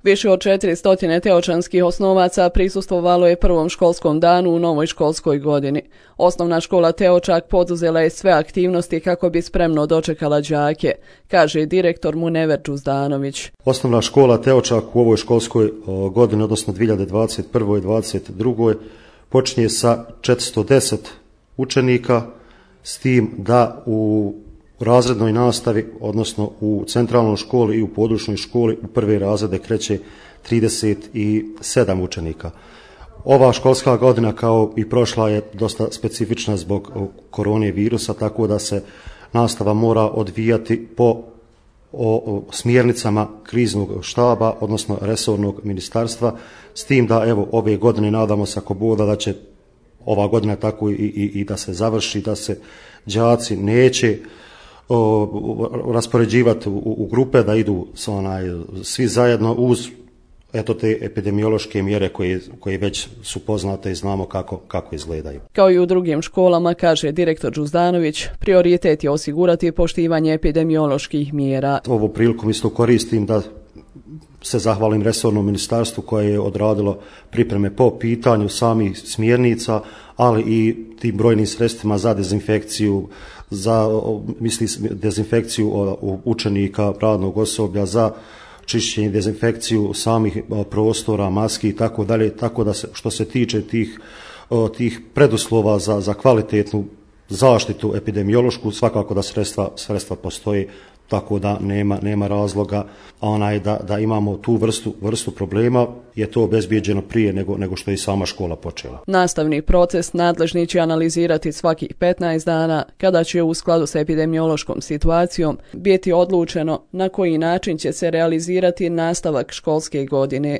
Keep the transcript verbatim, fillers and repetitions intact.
Više od četiristo teočanskih osnovaca prisustvovalo je prvom školskom danu u novoj školskoj godini. Osnovna škola Teočak poduzela je sve aktivnosti kako bi spremno dočekala đake, kaže direktor Munever Đuzdanović. Osnovna škola Teočak u ovoj školskoj godini, odnosno dvije hiljade dvadeset prve. i dvadeset druge. počinje sa četiristo deset učenika, s tim da u razrednoj nastavi, odnosno u centralnoj školi i u područnoj školi u prve razrede kreće trideset sedam učenika. Ova školska godina kao i prošla je dosta specifična zbog korone virusa, tako da se nastava mora odvijati po o, o smjernicama kriznog štaba, odnosno resornog ministarstva, s tim da evo ove godine nadamo se ako Bog da, da će ova godina tako i, i, i da se završi, da se đaci neće o, raspoređivati u, u grupe, da idu s onaj, svi zajedno uz eto te epidemiološke mjere koje, koje već su poznate i znamo kako, kako izgledaju. Kao i u drugim školama, kaže direktor Đuzdanović, prioritet je osigurati poštivanje epidemioloških mjera. Ovu priliku isto koristim da se zahvalim resornom ministarstvu koje je odradilo pripreme po pitanju samih smjernica, ali i tim brojnim sredstvima za dezinfekciju, za misli, dezinfekciju učenika, radnog osoblja, za čišćenje, dezinfekciju samih prostora, maski i tako dalje, tako da se, što se tiče tih, tih preduslova za, za kvalitetnu zaštitu epidemiološku, svakako da sredstva, sredstva postoji, tako da nema, nema razloga onaj, da, da imamo tu vrstu, vrstu problema, je to obezbijeđeno prije nego, nego što je i sama škola počela. Nastavni proces nadležni će analizirati svakih petnaest dana, kada će u skladu sa epidemiološkom situacijom biti odlučeno na koji način će se realizirati nastavak školske godine.